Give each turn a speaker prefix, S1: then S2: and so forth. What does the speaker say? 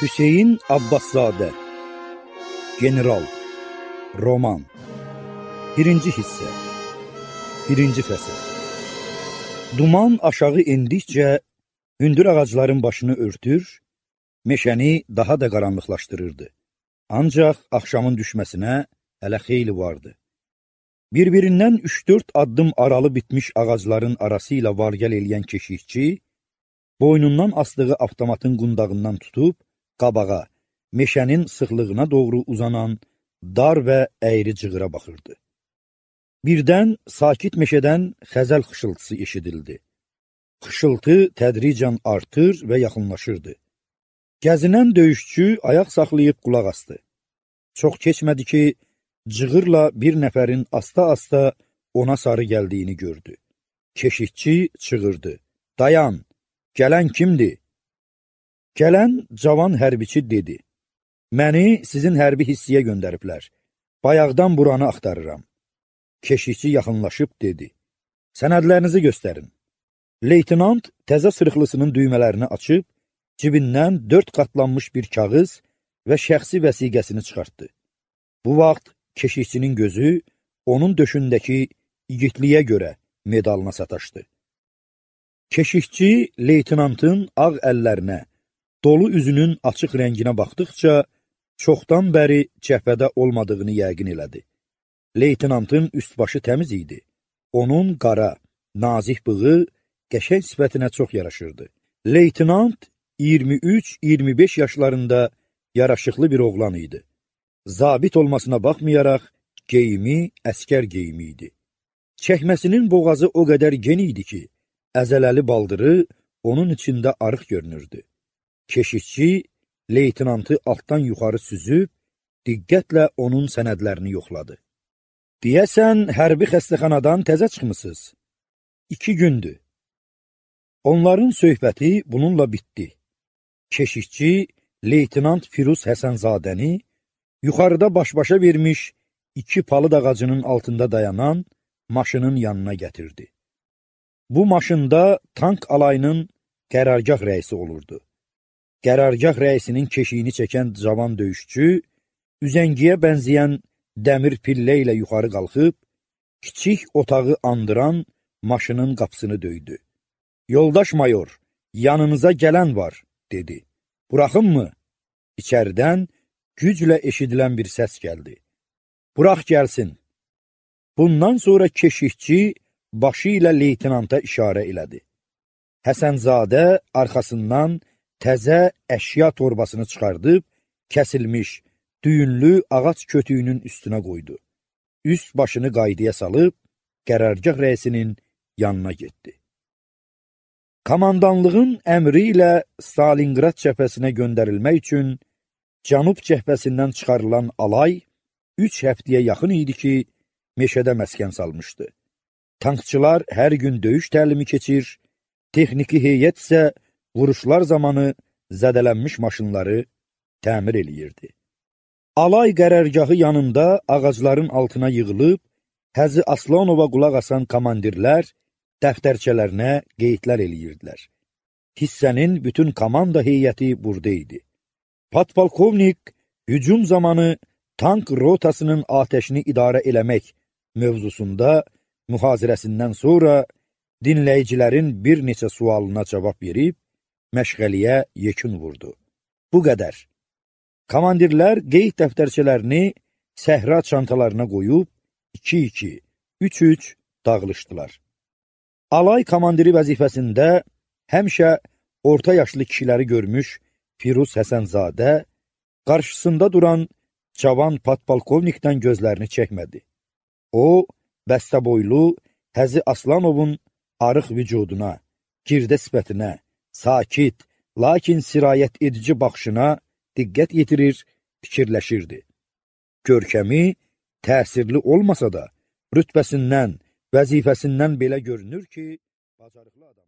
S1: Hüseyin Abbaszadə General Roman 1-ci hissə 1-ci fəsil. Duman aşağı indikcə hündür ağacların başını örtür, meşəni daha da qaranlıqlaşdırırdı. Ancaq axşamın düşməsinə hələ xeyli vardı. Bir-birindən 3-4 addım aralı bitmiş ağacların arası ilə var-gəl eləyən keşikçi, boynundan asdığı avtomatın qundağından tutub, qabağa, meşənin sıxlığına doğru uzanan dar və əyri cığıra baxırdı. Birdən sakit meşədən xəzəl xışıltısı eşidildi. Xışıltı tədricən artır və yaxınlaşırdı. Gəzinən döyüşçü ayaq saxlayıb qulaq asdı. Çox keçmədi ki, cığırla bir nəfərin asta-asta ona sarı gəldiyini gördü. Keşikçi çığırdı. Dayan, gələn kimdir? Gələn cavan hərbiçi dedi. Məni sizin hərbi hissiyə göndəriblər. Bayaqdan buranı axtarıram. Keşikçi yaxınlaşıb dedi. Sənədlərinizi göstərin. Leytinant təzə sırıqlısının düymələrini açıb, cibindən 4 qatlanmış bir kağız və şəxsi vəsiqəsini çıxartdı. Bu vaxt keşikçinin gözü onun döşündəki igidliyə görə medalına sataşdı. Keşikçi leytinantın ağ əllərinə, dolu üzünün açıq rənginə baxdıqca, çoxdan bəri cəbhədə olmadığını yəqin elədi. Leytinantın üst-başı təmiz idi. Onun qara, nazik bığı qəşəng sifətinə çox yaraşırdı. Leytinant 23-25 yaşlarında yaraşıqlı bir oğlan idi. Zabit olmasına baxmayaraq, geyimi əskər geyimi idi. Çəkməsinin boğazı o qədər gen idi ki, əzələli baldırı onun içində arıq görünürdü. Keşikçi leytinantı altdan yuxarı süzüb, diqqətlə onun sənədlərini yoxladı. Deyəsən, hərbi xəstəxanadan təzə çıxmısınız. 2 gündür. Onların söhbəti bununla bitdi. Keşikçi, leytinant Firuz Həsənzadəni yuxarıda baş-başa vermiş 2 palıd ağacının altında dayanan maşının yanına gətirdi. Bu maşında tank alayının qərargah rəisi olurdu. Qərargah rəisinin keşiyini çəkən cavan döyüşçü, üzəngiyə bənzəyən dəmir pillə ilə yuxarı qalxıb, kiçik otağı andıran maşının qapısını döydü. Yoldaş mayor, yanınıza gələn var, dedi. Buraxın mı? İçəridən güclə eşidilən bir səs gəldi. Burax gəlsin. Bundan sonra keşikçi başı ilə leytinanta işarə elədi. Həsənzadə arxasından təzə əşya torbasını çıxardıb, kəsilmiş, düyünlü ağac kötüyünün üstünə qoydu. Üst başını qaydaya salıb, qərargah rəisinin yanına getdi. Komandanlığın əmri ilə Stalingrad cəbhəsinə göndərilmək üçün Cənub cəbhəsindən çıxarılan alay 3 həftəyə yaxın idi ki, meşədə məskən salmışdı. Tankçılar hər gün döyüş təlimi keçir, texniki heyət isə vuruşlar zamanı zədələnmiş maşınları təmir eləyirdi. Alay qərargahı yanında ağacların altına yığılıb, Həzi Aslanova qulaq asan komandirlər dəftərçələrinə qeydlər eləyirdilər. Hissənin bütün komanda heyəti burada idi. Podpolkovnik hücum zamanı tank rotasının atəşini idarə eləmək mövzusunda mühazirəsindən sonra dinləyicilərin bir neçə sualına cavab verib, məşğəliyə yekun vurdu. Bu qədər. Komandirlər qeyd dəftərçələrini səhra çantalarına qoyub, 2-2, 3-3 dağılışdılar. Alay komandiri vəzifəsində həmişə orta yaşlı kişiləri görmüş Firuz Həsənzadə qarşısında duran cavan podpolkovnikdən gözlərini çəkmədi. O, bəstəboylu Həzi Aslanovun arıq vücuduna, girdə sifətinə, sakit, lakin sirayət edici baxışına diqqət yetirir, fikirləşirdi. Görkəmi təsirli olmasa da, rütbəsindən, vəzifəsindən belə görünür ki, bacarıqlı adam.